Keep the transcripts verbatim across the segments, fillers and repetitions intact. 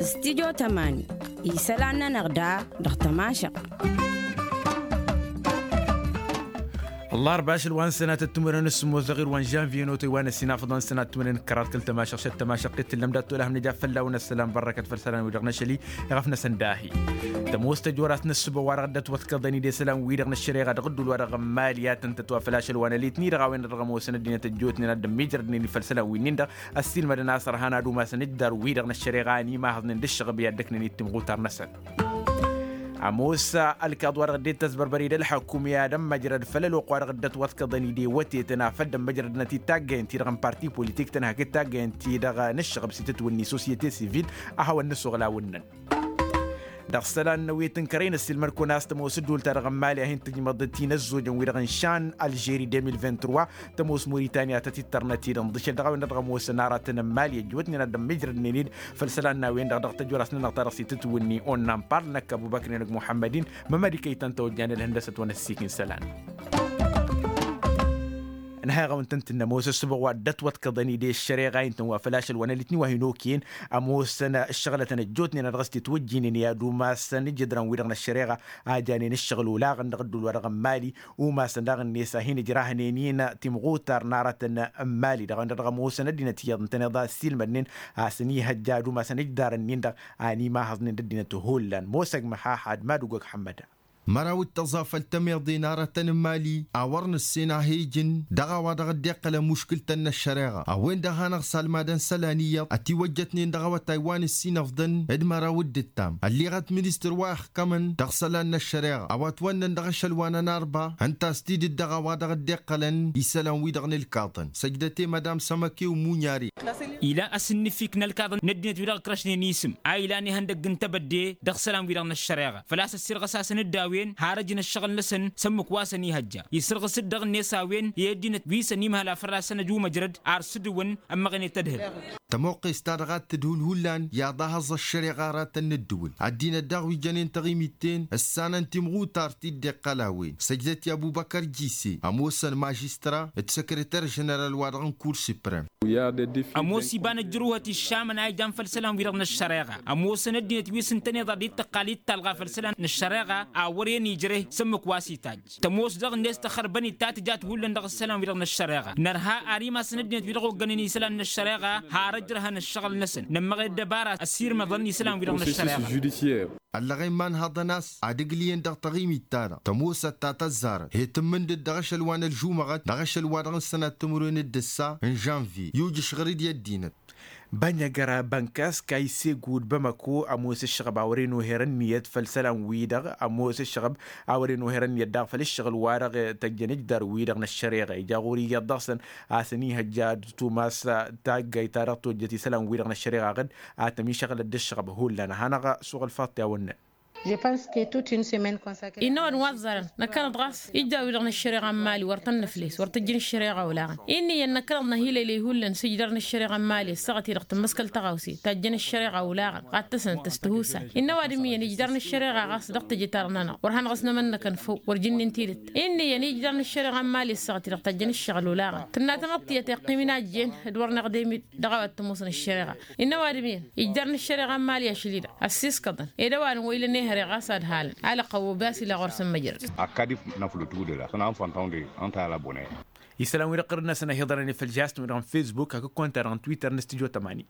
Stidyo tămani isălan-nănăɣ da dăɣ-tămašăɣt. Ăllarba ašăl wa n-sănatăt timǝrwen s-sǝmmos dăɣ-irwan žanviye n-otăy wa n-ăssinafăḍăn sănat timǝrwen kăraḍ kăl-tămašăɣt šăt tămašăɣt i-tǝllăm dat-tolăhăm nǝja fălla-wen ăssălan bărrăkăt făll-isălan wi-dăɣ n-ašăl-i iɣăf-năsăn dahi. Tămoos tăjorast n-ăssubăɣ wa dăɣ-dd-ătwătkăḍăn-dd isălan wi-dăɣ n-ăššăreɣa dăɣ-ăddul wa dăɣ-n mali ad-tăn-tătwa făll-ašăl wa n-ălitni dăɣ-a-wen-dăɣ dăɣ-ămoosăn ăddinăt ăjjootnen ad-dd-ămmiijrădnen-dd făll-isălan wi-nin-dăɣ. Ăssiilmădăn a-s ărhan ad-umasăn ǝjdar-wi-dăɣ n-ăššăreɣa a ănimahăẓnen d-ǝššăɣăb i-ad-dd-ăknăn-dd timɣutar-năsăn. Ămoos ălkaḍ wa dăɣ-dd-e-d tăzbărbări d-ălḥăkum i-ad-ămmăjrăd făll-ăloqq wa dăɣ-dd-ătwătkăḍăn-dd i-wătetăn afăl dd-ămmăjrădnăt-dd taggayăn-ti-dăɣ n-parti politik-tăn hakd taggayăn-ti-dăɣ n-ǝššăɣăb s-itǝtwǝnni sosyete sivil. A hawăn-nǝsuɣǝl a wǝnnăn dăɣ-isălan n-ăwwet n-kărăy n-ăssiilmăd-kăwăn a-s tămoos ǝddul-ta-dăɣ n-mali a hin-tǝjmăḍ tinăzzojăn-wi-dăɣ n-išan alžeri deux mille vingt-trois. Tămoos moritani a tăt-ittărnăt-dd ǝnḍǝšăl dăɣ-a-wen-dăɣ dăɣ-ămoosăn aratăn n-mali ăjjootnen ad-dd-ămmijrădnen-dd făll-isălan n-a-wen-dăɣ dăɣ-tăjorasăn-nănăɣ ta dăɣ-s itǝtwǝnni. Onnăn parl năkk ăbubăkr n-enăgg muḥămmăd-in mămăd ikăy-tăn tawăjjan ălhăndăsăt wa n-ăssiik n-isălan. Ănhăyăɣ a wăn-tăn-tǝnnăm ămoos ăssubăɣ wa dd-ătwătkăḍăn-dd i-ăššăreɣa intăn wa făl ašăl wa n-ălitni wa hin-okăyăn ămoosăn ǝššăɣlătăn ăjjootnen a dăɣ-s titwǝjjinen i-ad-umasăn ǝjǝdrăn-wi-dăɣ n-ăššăreɣa a janen ǝššăɣǝl olaɣăn dăɣ-ăddul wa dăɣ-n mali. Umasăn daɣ-net a hin-ǝjrahnen-in timɣutar n-aratăn n-mali dăɣ-a-wen-dăɣ dăɣ-ămoosăn ăddinăt iyyăḍ ǝntăneḍ a ăssiilmădnen a-s ănihăjja ad-umasăn ǝjdar-nin-dăɣ a ănimahăẓnen d-ăddinăt hullan mosăg măhaḥad madugog ḥămmăda. Măraw d-tăẓafăl tămeḍe n-aratăn n-mali a wăr nǝssen a he-ijǝn dăɣ-a-wa dăɣ-dd-iqqălăn muškǝl-tăn n-ăššăreɣa a-wen-dăɣ hanăɣ-salmadăn isălan iyyăḍ ătiwăjjătnen dăɣ-awătay wa n-ǝssinăfḍăn. D-măraw d-ǝttam ălliɣăt ministăr wa ixkămăn dăɣ-isălan n-ăššăreɣa a-wa ătwănnăn dăɣ-ašăl wa n-ănarba ǝnta a-s tidǝt dăɣ-a-wa dăɣ-dd-iqqălăn isălan-wi-dăɣ n-ǝlkaḍăn săjdăt i-madam sămăkew munyari. Ilan asǝnnǝfik n-ălkaḍăn n-ăddinăt-wi-dăɣ ǝkrăšnen isǝm a ilan ihăndăgg n-tebădde dăɣ-isălan-wi-dăɣ n-ăššăreɣa făl-a-s ăssirɣăsasăn-dd a-wen har ăjǝn ǝššăɣǝl-năsăn s-ǝmmǝk wa s-ănihăjja isǝrɣǝs-dd dăɣ-net a-wen i-ăddinăt wi s-ănimhăl a fălla-săn ăjumăjrăd ar s-dd-wǝn. Ămmăɣnet ădhǝl. Tămoqqes-ta-dăɣ a t-tǝdhǝl hullan i-ad-ahăẓẓ ăššăreɣa aratăn n-ǝddǝwǝl ăddinăt daɣ wi jănen taɣimit-ten ǝssanăn timɣutar ti dd-iqqăl a-wen săjdăt i-abubăkăr jise ămoosăn mažistra d-săkrăter ženeral-wa-dăɣ n-kur suprem. Ămoos iba n-ăjrǝwhăt iššamăn a ijan făll-isălan-wi-dăɣ n-ăššăreɣa ămoosăn ăddinăt wi s-ǝntăneḍ ad-dd-tăqqal i-d talɣa făll-isălan n-ăššăreɣa a wăren ijreh s-ǝmmǝk wa s-itajj. Tămoos dăɣ-net tăxărbăn-dd ta tǝjat hullan dăɣ-isălan-wi-dăɣ n-ăššăreɣa nărha ar imasăn ăddinăt-wi-dăɣ oggănen isălan n-ăššăreɣa har ăjrăhăn ăššăɣǝl-năsăn nămmăɣ i-ăddăbara ăssirmăḍăn isălan-wi-dăɣ n-ăššăreɣa. Ăllăɣen ma ǝnhăḍăn a-s ad-ǝglǝyăn dăɣ-taɣimit-ta-dăɣ tămoosăt ta tăzzarăt he-tǝmmǝndǝd dăɣ-ašăl wa n-ălžumăɣăt dăɣ-ašăl wa dăɣ-nǝsănat timǝrwen d-ǝssa n-žănvye i-ujǝš ɣăr-dd i-ăddinăt. Bănjăgăra bănkas kayse gud bamăko ămoos ǝššăɣăb a wăren oher ǝnniyăt făll-isălan-wi-dăɣ ămoos ǝššăɣăb a wăren oher ǝnniyăt daɣ făll-ǝššăɣǝl-wa-dăɣ tăjjăn ǝjdar-wi-dăɣ n-ăššăreɣa ija ɣur-i iyyăḍ dăɣ-săn a-s ănihăjja ad-tumas taggayt ta dăɣ-tojjăt isălan-wi-dăɣ n-ăššăreɣa ɣǝd a tămišăɣlăt d-ǝššăɣăb hullan ad-hanăɣ-suɣǝl faḍt i-a-wănnăn. Innă ăwadǝm wa ăẓẓarăn năkkănăḍ ɣas ijjaw-i-dăɣ n-ăššăreɣa n-mali wăr tăn-năfles wăr tăjjăn ăššăreɣa olaɣăn. Innă iyyăn năkkănăḍ năhilăylăy hullan s-ijdar n-ăššăreɣa n-mali ăssaɣăt-i-dăɣ tǝmmǝskăl tăɣawse tajjăn ăššăreɣa olaɣăn ɣad tăsnăt tăstăhusa. Innă ăwadǝm iyyăn ijdar n-ăššăreɣa ɣas dăɣ-teje-ta-dăɣ-nănăɣ wăr hanăɣ-s nămănnăkăn făw wăr jǝnnin tidǝt. Innă iyyăn ijdar n-ăššăreɣa n-mali ăssaɣăt-i-dăɣ tajjăn ăššăɣǝl olaɣăn tǝnna tamăḍt tiyyăt iqqim inajen d-wăr năɣdem-dd dăɣ-a-wa t-ămoosăn ăššăreɣa. Innă ăwadǝm iyyăn ijjar n-ăššăreɣa n-mali ašăl-i-dăɣ ăssiskăḍăn ed ăwadǝm wa ilăn ehăre ɣas ad-halăn alăqqăw obe a-s ila ɣur-săn măjrăd. Akkad-i năflǝt udǝla s-ănɣan făntăwăn de ănta i-ala bone. Isălan-wi-dăɣ ɣur-năsăn ăhiḍărăn i-făl žastǝm-wi-dăɣ n-fesbuk hakd kăwăn-ta-dăɣ n-twitter n-studyo tămani.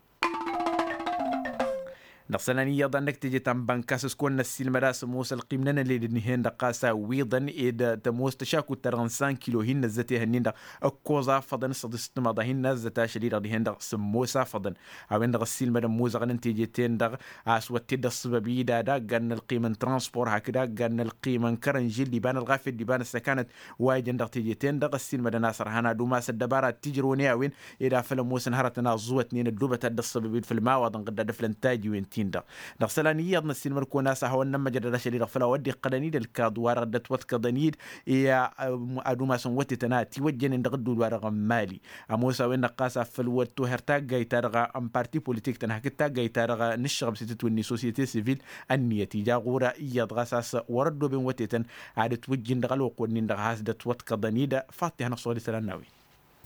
Dăɣ-isălan iyyăḍ a n-năkk teje ta n-bănkas s-kăwăn-năssiilmăd a-s ămoos ălqim n-enăled dihen-dăɣ ɣas a ǝwwiḍăn ed tămoos tăšakut-ta-dăɣ n-san kilo hin-năzzăt ehăn-in-dăɣ ǝkkoẓ afăḍăn s-săḍis s-timaḍa hin-năzzăt ašăl-i-dăɣ dihen-dăɣ sǝmmos afăḍăn. A-wen-dăɣ ăssiilmăd ămmuẓăɣăn n-teje-ten-dăɣ a-s wăr t-dd-ăṣṣăbăb-i d-ad-aggan n-ălqim n-transpor hakd aggan n-ălqim n-kărănžil d-iba n-ălɣafyăt d-iba n-ăssăkanăt. Wa ijăn dăɣ-teje-ten-dăɣ ăssiilmădăn a-s ărhan ad-umas ăddăbara t-ijrăwăn i-a-wen ed afăl ămoosăn hărătăn a ăẓẓuwătnen ăddoobăt ad-dd-ăṣṣăbăb-dd făll-imawaḍăn ɣǝdda d-aflăn tajiwen-tin-dăɣ. Dăɣ-isălan iyyăḍ n-ăssiilmăd-kăwăn a-s ad-hawăn-nămmăjrăd ašăl-i-dăɣ făll-a-wa dd-iqqălăn-dd ălkaḍ wa dăɣ-dd-ătwătkăḍăn-dd i-ad-umasăn wătetăn a ătiwăjjănen dăɣ-ăddul wa dăɣ-n mali. Ămoos a-wen-dăɣ ɣas a făl wăr toher taggayt-ta-dăɣ n-parti politik-tăn hakd taggayt-ta-dăɣ n-ǝššăɣăb s-itǝtwǝnni sosyete sivil. Ănniyăt ija ɣur-iyyăḍ ɣas a-s wăr-ăddooben wătetăn ad-ǝtwǝjjǝn dăɣ-ălwăqq-wǝnnin-dăɣ has-dd-ătwătkăḍăn-dd. Faḍt-i hanăɣ-suɣǝl isălan n-a-wen.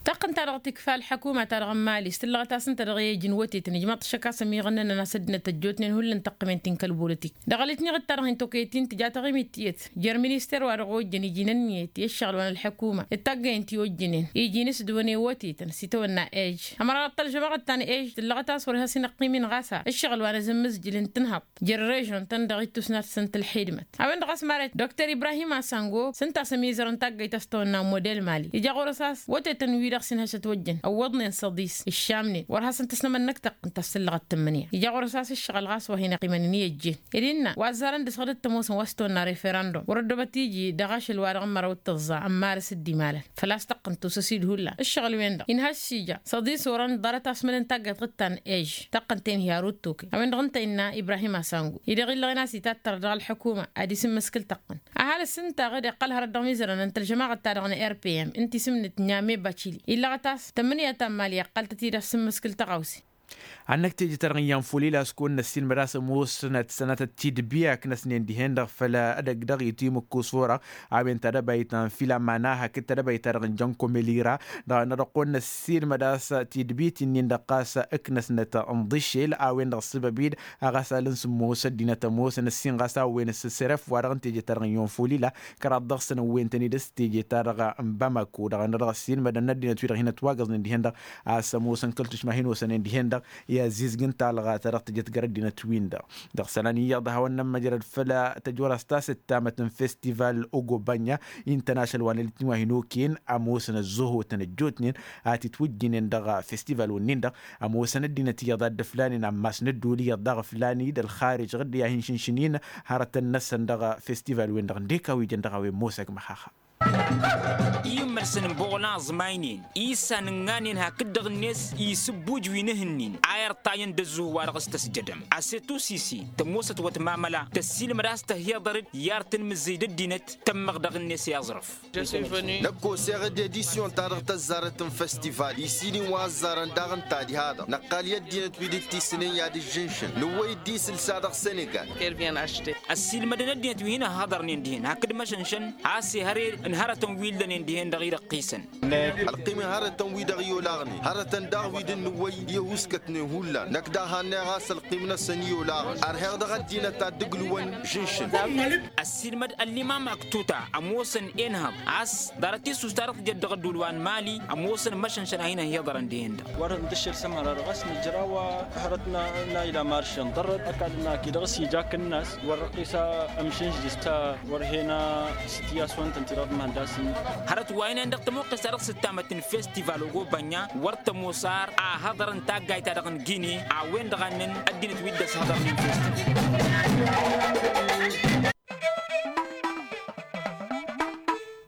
Taqqǝnt-ta-dăɣ tikfa ălḥăkuma-ta-dăɣ n-imali s-tǝllăɣăt-asǝn-ta dăɣ-i ejǝn wătetăn ijmaḍ-t šăkk a-s ămiɣănnăn a-s ăddinăt ăjjootnen hullan tăqqǝmen ti n-kăl-bolătik. Dăɣ-alitniɣ-dd-ta-dăɣ hin-tokăyăt-in tǝja taɣimit tiyyăt jer-minister wa dăɣ-ojjăn iji n-ǝnniyăt i-ǝššăɣǝl wa n-ălḥăkuma d-taggăyăn ti ojjǝnen iji n-s dd-wănen wătetăn s-itawănna ej. Ămăra dăɣ-tălžămaɣăt ta n-ej tǝllăɣăt a-s wăr has-in-ăqqim-in ɣas a ǝššăɣǝl wa n-azǝmmǝzjǝl n-tǝnhăḍt jer-režion-tăn dăɣ-ittus n-ad-săn tǝlxidmăt. A-wen-dăɣ a-s mara dr-ibrahim asango s-ǝnta a-s ămizărăn taggayt a-s tawănna model mali ija ɣur-s a-s wătetăn-wi-dăɣ s-inhăšăt wăjjăn ăwwăḍnen săḍis ǝššamnen wăr hasăn-tăsnămănnăk tăqqǝnt a-s tǝllăɣăt tǝmmǝnǝya. Ija ɣur-s a-s ǝššăɣǝl ɣas wa hin-ăqqimăn ǝnniyăt jen ed innă wa ăzzarăn dăɣ-s ɣǝdăt tămoosăn wa s-tawănna referăndum wăr-ăddobăt iji dăɣ-ašăl-wa-dăɣ n-măraw d-tăẓẓa ămmarăs dd-imalăn. Făl-a-s tăqqǝnt osăs-dd hullan ǝššăɣǝl-wen-dăɣ inhăš šija săḍis orăn ḍarăt asmălăn taggayt ɣǝttan ej tăqqǝnt-en hi-arut tokăy a-wen-dăɣ ǝnta innă ibrahim asangu-i-dăɣ illăɣen a-s itattăr dăɣ-ălḥăkuma ad-isǝmmǝskǝl tăqqǝnt. Ăhalǝs ǝnta ɣǝd iqqăl hărăt dăɣ-mizărăn n-tălžămaɣăt-ta-dăɣ n-rpm ǝnta isǝmnǝt n-ame bacili illăɣăt a-s tămmǝnǝya ta n-imali ăqqăl-tăt-dd asǝmmǝskǝl tăɣawse. Ad-năkk teje-ta-dăɣ n-iyyăn folil a-s kăwăn-năssiilmăd a-s ămoosnăt sănatăt tidbi a ǝknăsnen dihen-dăɣ făll-edăgg dăɣ-i timǝkkus orăɣ a-wen tadăbayt ta n-filămana hakd tadăbayt-ta-dăɣ n-jăn komelira. Dăɣ-nădăɣ kăwăn-năssiilmăd a-s tidbi ti-nin-dăɣ ɣas ǝknăsnăt n-iḍǝššel a-wen-dăɣ ăssăbăb-dd a ɣas alǝn s-ămoos ăddinăt ămoosăn ǝssin ɣas a wen-s sărăf wa dăɣ-n teje-ta-dăɣ n-iyyăn folil a kăraḍ dăɣ-săn ăwwentăn-dd s-teje-ta-dăɣ n-bamako dăɣ-nădăɣ ăssiilmădăn n-ăddinăt-wi-dăɣ hin-ătwagăẓnen dihen-dăɣ a-s ămoosăn kăl-tušma hin-osănen dihen-dăɣ i-azizg n-talɣa ta dăɣ-tǝjăt gar ăddinăt-win-dăɣ. Dăɣ-isălan iyyăḍ a hawăn-nămmăjrăd făll-tăjorăst ta s-ǝttamăt n-festival ogobanya intăn ašăl wa n-elǝtni wa hin-okăyăn ămoosăn ăzzohotăn ăjjootnen a titwǝjjǝynen dăɣ-festival-wǝnnin-dăɣ. Ămoosăn ăddinăt iyyăḍ a dd-ǝflanen ammas n-ădduul iyyăḍ daɣ ǝflan-dd ălxarij ɣǝdde a hin-šǝnšǝn-in hărătăn-năsăn dăɣ-festival-wen-dăɣ ǝndek a-wi jăn dăɣ-a-wen mosăg măxaxa. Iyyǝmmălsăn n-iboɣlan aẓmaynen issan ǝnnanen hakd-dăɣ-net isǝbbuj wi n-ehǝnnin a irṭayăn d-ăzzuh wa dăɣ-s tăsjădăm asetusisi tămoosăt wătmamăla tăssiilmăd a-s tăhiḍăr-dd i-ar tǝnmǝzzǝy d-ăddinăt tămmăɣ dăɣ-net i-aẓrǝf. Năkk oseɣ-dd edisyon-ta-dăɣ tăzzarăt n-festival isǝnin wa ăzzarăn daɣ ǝnta diha-dăɣ năqqal i-ăddinăt wi dd-tisǝnen i-ad-ǝžžǝnšǝn nǝwwăy-dd isǝlsa dăɣ-senegal. Ăssiilmădăn ăddinăt wi hin-ăhhăḍărnen dihen hakd măšănšăn a-s ehăre n-hărătăn wi ǝllănen dihen-dăɣ idăqqisăn. Ălqim n-hărătăn-wi-dăɣ i-olaɣnen hărătăn daɣ wi dd-nǝwwăy i-ăhuuskătnen hullan năkk daɣ hannăyăɣ a-s ălqim-năsăn i-olaɣăn ărheɣ dăɣ-ăddinăt ad-dd-ǝglǝwăn žǝnšǝn. Ăssiilmăd ăllimam aktuta ămoosăn enhăḍ a-s ḍarăt-i s-us ta dăɣ-tǝjăt dăɣ-ădduul wa n-mali ămoosăn măšănšăn a hin-ăhiḍărăn dihen-dăɣ. Wăr-dăɣ n-tǝššǝl s-ămăra dăɣ-s nǝjraw hărăt n-a ila maršăn ḍarrăt ăkall n-aki dăɣ-s ija akǝnnas wăr-răqqis amšǝnždis ta wăr-hen s-tiyyas wa n-tăn-ti-dăɣ d-imhăndasin. Hărăt wa inen dăɣ-tămoqqes ta dăɣ-s ǝttamăt n-festival ogobanya wăr tămoos ar ahăḍăr n-taggayt-ta-dăɣ n-gine a-wen-dăɣ a ǝnnăn ăddinăt wi dd-ăshăḍărnen festival.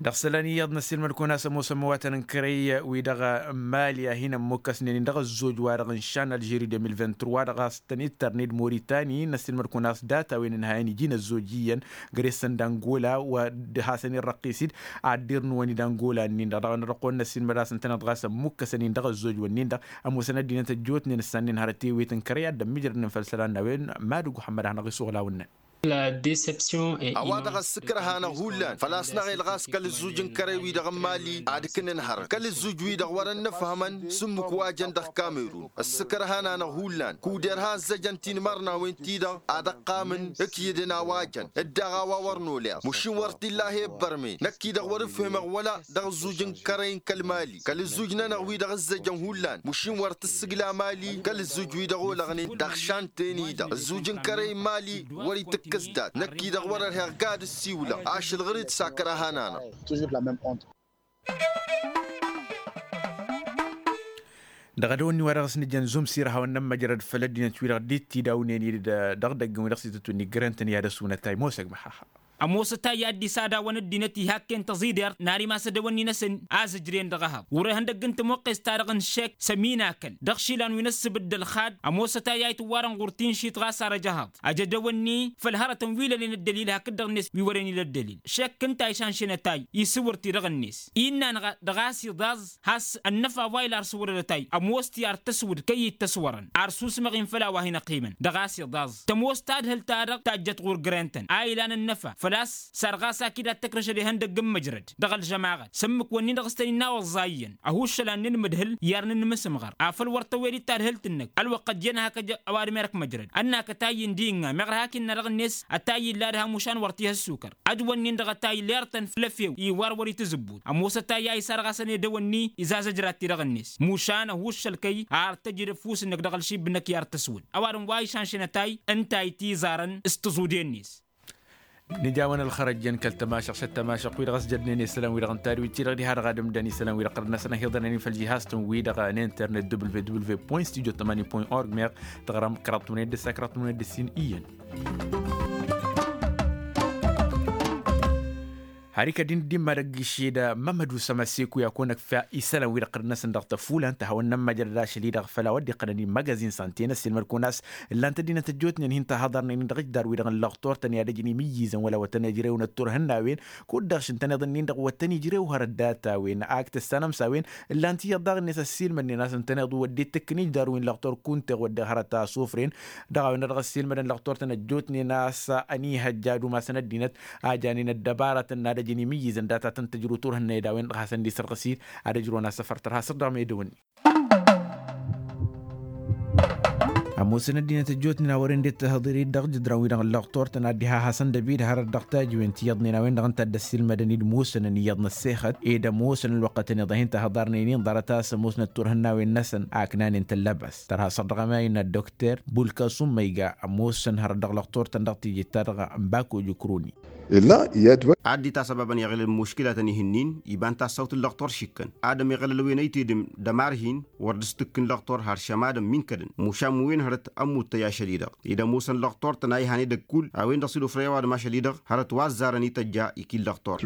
Dăɣ-isălan iyyăḍ n-ăssiilmăd-kăwăn-as ămoosăn imăwatăn n-kărăy-wi-dăɣ n-mali a hin-ămmukkăsnen-in dăɣ-ăzzoj-wa-dăɣ n-šan ălžeri deux mille vingt-trois dăɣ-a-s tăn-ittărned moritani n-ăssiilmăd-kăwăn-as data-wen ǝnhayăn iji n-ăzzoj iyyăn gre-săn d-angola wa d-hasăn-irrăqqis-dd. Ad-dd-irnǝwăn-dd angola-nin-dăɣ dăɣ-nărăqqon n-ăssiilmăd a-s ǝntăneḍ ɣas ămmukkăsăn-in dăɣ-ăzzoj-wǝnnin-dăɣ ămoosăn ăddinăt ăjjootnen ǝssannen hărăt ewet n-kărăy ad-dd-ămmijrădnen făll-isălan n-a-wen. Mad-ugg muḥămmăd a hanăɣ-isuɣǝl a-wǝnnan. A-wa-dăɣ ăssǝkrăh-anăɣ hullan făl-a-s năɣel ɣas kăl-ǝzzuj n-kărăy-wi-dăɣ n-mali ad-ǝknǝnhărăn kăl-ǝzzuj-wi-dăɣ wăr-ănnăfhămăn s-ǝmmǝk wa jăn dăɣ-kamerun. Ăssǝkrăh-anăɣ hullan kuder ha ăzzăjăn tinmărnawen-ti-dăɣ ad-ăqqamǝn ǝkyǝdăn a-wa jăn dd-dăɣ a-wa wăr noleḍ mašin wăr t-illa a he-ăbbărme năkk-i-dăɣ wăr-ǝfhǝmăɣ wăla dăɣ-ǝzzuj n-kărăy n-kăl-mali kăl-ǝzzuj-nănăɣ wi-dăɣ ǝzzăjăn hullan mašin wăr tǝssǝgla mali kăl-ǝzzuj wi-dăɣ olăɣnen dăɣ-šanten-i-dăɣ ǝzzuj n-kărăy n-mali. Wăr-itǝkkǝs dat năkk-i-dăɣ wăr-ărheɣ gad-ǝssiwlăɣ ašăl ɣur-dd s-akrăh-anănăɣ. Dăɣ-edăwănni wa dăɣ-s nǝjăn zumsir a hawăn-nămmăjrăd făll-ăddinăt-wi-dăɣ dd-tidawnen-dd dăɣ-idăgg-wi dăɣ-s itǝtwǝnni grăn-tăn i-ad-ăsunătay mosăg măxaxa. Ămoosătay i-ad-dd-isadaw ăddinăt ihak-en tăẓidert n-arimăs edăwănni-năsăn a zǝjren dăɣ-ehăḍ wăr-ehăn dăgg n-tămoqqes-ta-dăɣ n-šek sămin akăl dăɣ-išilan wi n-ăssǝbǝd d-ălxad. Ămoosătay a itǝwwarăn ɣur-tinšit ɣas arăj ehăḍ ajădăwănni făll-hărătăn wi lănen ăddălil hakd-dăɣ-net wi wăren ila ăddălil šek ǝnta a išanšenătay isǝwǝr-t-i dăɣ-net. Innă-năɣ dăɣ-a-s iḍaẓ has-ănnăfa wa ila ar sǝwrădătay ămoos-t i-ar tăswǝd kăy-ittăswărăn ar susmăɣ-in făll-a-wa hin-ăqqimăn dăɣ-a-s iḍaẓ tămoos tadhǝlt-ta-dăɣ tajjăt ɣur-grăn-tăn a ilan ănnăfa. tas sar ɣas akid ad-tăkrăšăd ihăndăgg n-măjrăd dăɣ-ălžămaɣăt s-ǝmmǝk-wǝnnin-dăɣ s-tăn-innawăẓẓa iyyăn ăhuššăl ad-nǝnmǝdhǝl i-ad-nǝnmǝsǝmɣăr afăl wăr tăwwed-dd tadhǝlt-năk. Ălwăqq ăjjeen hak ăj ăwadǝm erk măjrăd ănn akătayy ǝndi ǝnna meɣ ărhak innă dăɣ-net ătayy ǝlla ad-ha mušan wăr t-ihăssukăr. Ăj-wǝnnin-dăɣ ătayy lertăn făll-efew iwar wăr-itǝzǝbbut ămoos ătayy a isarɣas ănedăwănni izazăjrad-t-i dăɣ-net mušan ăhuššăl kăy ar tăjǝd ăfuss-năk dăɣ-ălšib-năk i-ar tăswǝd. Ăwadǝm wa išănšăn ătayy ǝnta a itiẓarăn s-tǝẓude-net. Nǝjawăn ălxărăjjăn kăl-tămašăɣt šăt tămašăɣt-wi-dăɣ s-jădnen isălan-wi-dăɣ n-tadwit-ti-dăɣ diha-dăɣ ad-ǝmdăn isălan-wi-dăɣ ɣărăt-năsăn ăhiḍănen făll-jihaz-tăn-wi-dăɣ n-internet www point studio tămani point org meɣ tăɣrăm kăraḍ tǝmǝned d-ǝssa kăraḍ tǝmǝned d-ǝssin iyyăn. Har ikădd-in dd-imma dăgg-išed mămădu sămăseku i-ad-kăwăn ăkfa isălan-wi-dăɣ ɣărăt-năsăn dăɣ-tăfulan tăhawăn n-ămmăjrăd ašăl-i-dăɣ făll-a-wa dd-iqqănăn immagazin sante n-ăssiilmăd-kăwăn a-s ǝllan-t ăddinăt ăjjootnen hin-tahăḍarnen-in dăɣ-ijdarrăw-wi-dăɣ n-lăɣtor-tăn i-ad-ăjǝn imǝyyǝzăn wăla wăr tăn-ijrewăn ătturhǝnnawen kud-dăɣ šintăneḍ-ǝnnin-dăɣ wăr tăn-ijrew hărăt data-wen ak tǝssanăm s-a-wen. Ǝllan-t iyyăḍ daɣ-net ăssiilmădnen a-s ǝntăneḍ wăr dd-tǝkkǝn ijdarrăw-wi n-lăɣtor kunteɣ wăr-dăɣ hărăt a sufren dăɣ-a-wen-dăɣ ăssiilmădăn lăɣtor-tăn ăjjootnen a-s ănihăjja ad-umasăn ăddinăt a janen ăddăbarătăn n-ad-ăjǝn imǝyyǝzăn data tăn-tǝjrǝw turhǝnna ed a-wen-dăɣ hasăn-dd-isărɣǝs-dd ad-ǝjrǝwăn asăfăr tărha săr-dăɣ medăwănni. Ămoosăn ăddinăt ăjjootnen a wăren dd-tǝhǝḍǝr-dd dăɣ-jǝdran-wi-dăɣ n-lăɣtor-tăn ad-dd-iha hasăn-dd-ăbid hărăt dăɣ-tajǝwen ti iyyăḍnen a-wen-dăɣ ǝnta a dd-ăssiilmădăn-dd musănăn iyyăḍ n-ăssexăt ed ămoosăn ălwăqqătăn iḍa hin-tahǝḍarnen-in ḍarăt a-s ămoosnăt turhǝnnawen-năsăn aknanen tăllăbast tărha săr-dăɣ ămayǝnna dd-okter bulkasum ma iga ămoosăn hărăt dăɣ-lăɣtor-tăn dăɣ-tijǝt-ta-dăɣ n-bako jǝkroni. Ad-dd-itasăbabăn i-aɣǝlăl n-muškǝlatăn ihǝnnin iba n-tassawt n-lăɣtor šikkăn ad-ămiɣălăl wen ăytedăm d-ămarhin wăr dd-s-tǝkkǝn lăɣtor har šămadăn mi n-kădăn mušam wen hărăt ămmuttăy ašăl-i-dăɣ ed ămoosăn lăɣtor-tăn a ihaned ăkkull a-wen-dăɣ s-dd-ofrăy ăwadǝm ašăl-i-dăɣ hărăt wa ăzzarăn ităjja ikil lăɣtor.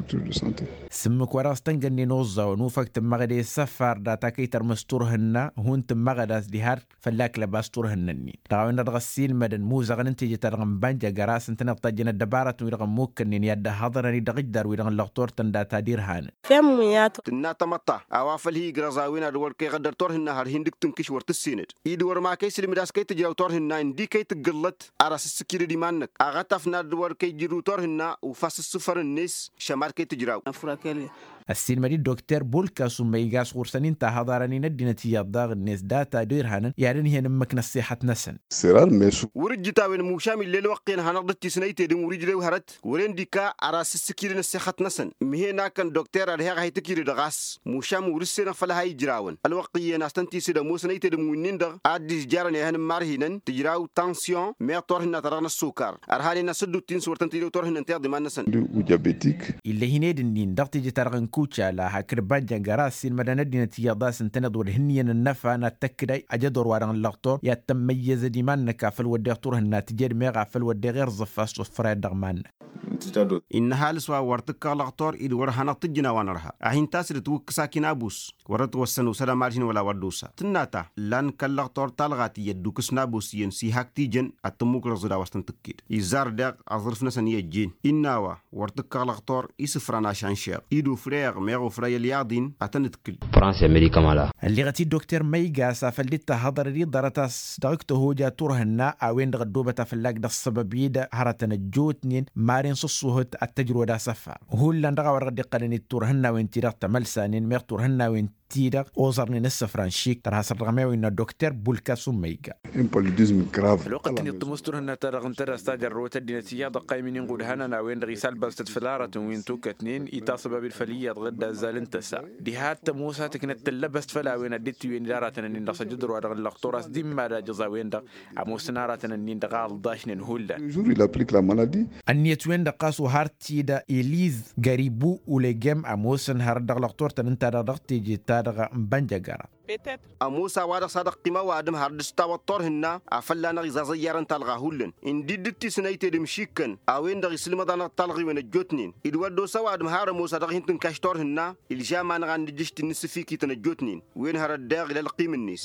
S-ǝmmǝk wa dăɣ-s tăngănnen oẓẓawăn ufăg tǝmmăɣăd i-săfar data kăy-tărmǝs turhǝnna hun-tǝmmăɣăd a-s diha-dd fălla-k lăbas turhǝnna-nin dăɣ-a-wen-dăɣ dăɣ-ăssiilmădăn imuzăɣăn n-teje-ta-dăɣ n-banja jăr-asăn tăneḍ tajjăn ăddăbarătăn-wi-dăɣ ămmukkănnen i-ad-dd-ăhhăḍărăn-dd dăɣ-ijdarrăw-wi-dăɣ n-lăɣtor-tăn data d-irhanăn. Tǝnna tamăḍt-ta a-wa făl hi-igrăẓ a-wen ad-wăr kăy-iɣăddăr turhǝnna har hin-dd-tǝnkǝš wăr tǝssenăd-dd wăr ma kăy-isǝlmǝd a-s kăy-tǝjraw turhǝnna ǝndi kăy-tǝggǝllăt ar asǝssǝkidăd iman-năk aɣătaf n-ad-wăr kăy-ijrǝw turhǝnna ufa s-ǝssǝfăr-net šămad kăy-tǝjraw. Ăssiilmăd-dd dokter bulkasu ma iga a-s ɣur-săn inta haḍarăn-in ăddinăt iyyăḍ daɣ-net data d-irhanăn i-ad-ǝnhǝyăn ǝmmǝk n-ăssexăt-năsăn. Wăr-ǝjjǝt a-wen mušam ill'-e ălwăqq-en hanăɣ-dd-tisnăytedăm wăr-ijrew hărăt wăren d-ika ar asǝssǝkidăn ăssexăt-năsăn. Ǝmhen akăn dokter ad-heɣ a hi-tǝkidăd ɣas mušam wăr-ǝssenăn făll-ha ijrawăn ălwăqq iyyăn a-s tăn-tisǝd ămoosăn ăytedăm wi-nin-dăɣ ad-dd-izjarăn ehăn n-imarhinăn tǝjraw tansiyon meɣ turhǝnna-ta-dăɣ n-ăssokar. Ărhanen a-s dd-utin s-wăr tăn-tǝjrew turhǝnna n-tiḍiman-năsăn. Ill'-e hin-ed ǝnnin dăɣ-teje-ta-dăɣ n-kucala hakd banja n-gara ăssiilmădăn ăddinăt iyyăḍ a-s ǝntăneḍ wăr dd-hǝnnǝyăn ǝnnăfa n-ad-tăkkǝd ajădor-wa-dăɣ n-lăɣtor i-ad-tămmăyyăzăd iman-năk afăl wădden turhǝnna tǝjed meɣ afăl wădden irẓǝf a-s tufrăyăt dăɣ-iman-năk. Innă ăhalǝs wa wăr tǝkkaɣ lăɣtor-i d-wăr hanăɣ-tǝjjǝn a-wa nărha a hin-tasǝdǝt wǝkkǝs akin abus wăr dd-tawăssăn osăd amarhin wăla wăr dd-osa tǝnna ta ǝllan kăl-lăɣtor talɣa tiyyăt d-ukǝs n-abus iyyăn s-ihak tijăn ad-tǝmmukrăẓ d-a-wa s-tăn-tǝkked. Izzar daɣ aẓrǝf-năsăn i-ăjjeen innă a-wa wăr tǝkkaɣ lăɣtor isǝfran ašanšeɣ-i d-ufreɣ meɣ ufrăy ălyaḍ-in ad-tăn-ǝdkǝl. Ălliɣăt-dd dokter măyga a-s afăl dd-tahăḍărăd-dd ḍarăt a-s dăɣ-ǝktăhoj a turhǝnna a-wen-dăɣ ăddoobăt a fălla-k dăɣ-săbăb-i-dăɣ hărătăn ăjjootnen maren s-ǝṣṣuhǝt ad-t-ăjrăwăd asăfar hullan dăɣ-a-wa dăɣ-dd-iqqălăn d-turhǝnnawen-ti-dăɣ tămălsanen meɣ turhǝnnawen-ti-dăɣ oẓărnen ǝssǝfran šik tărha săr-dăɣ ămewăyna dokter bulkasu măyga. Ălwăqq ǝnta-net tămoos turhǝnna-ta-dăɣ ǝnta d-a-s tajărrăwăt ăddinăt iyyăḍ ăqqaymăn-in ɣudhanăn a-wen-dăɣ isalbăẓtăt făll-aratăn wi n-tukătnen itasăbab-dd făll-iyyăḍ ɣǝdda ăzzal n-tăsa diha t-ămoos a tǝknăt tǝllăbăst făll-a-wen ad-dd-tiwǝyăn d-aratăn-nin dăɣ-s ajǝdru-wa-dăɣ n-lăqtor a-s dd-immal ajăẓ a-wen-dăɣ ămoosăn aratăn-nin-dăɣ a ǝlḍašnen hullan. Ănniyăt-wen-dăɣ ɣas wa har t-dd-eliz găribu ulegem ămoosăn hărăt dăɣ-lăqtor-tăn ǝnta-dăɣ dăɣ-teje-ta-dăɣ n-bănjăgăra. Ămoos a-wa dăɣ-s ad-ăqqim ăwadǝm har dd-s-tawăḍ turhǝnna afăl lanăɣ izaẓ ăyyarăn talɣa hullan ǝndi dd-tisnăytedăm šikkăn a-wen-dăɣ isǝlmăḍ-anăɣ talɣiwen ăjjootnen d-wăr dd-osa ăwadǝm har ămoos a dăɣ-hin-tǝnkaš turhǝnna. Ilžam-anăɣ ad-nǝjjǝš tinǝssǝfikităn ăjjootnen wen hărăt daɣ ila ălqim-net.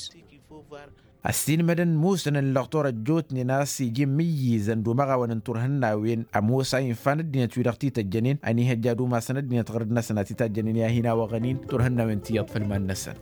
Ăssiilmădăn musănăn lăqtor ăjjootnen a-s ija immǝyyǝzăn d-umăɣawăn n-turhǝnnawen ămoos a infan ăddinăt-wi-dăɣ t-ităjjănen ănihăjja d-umasăn ăddinăt ɣărăd-năsăn a t-itajjănen i-ad-hin-awăɣăn-in turhǝnnawen tiyyăḍ făll-iman-năsăn.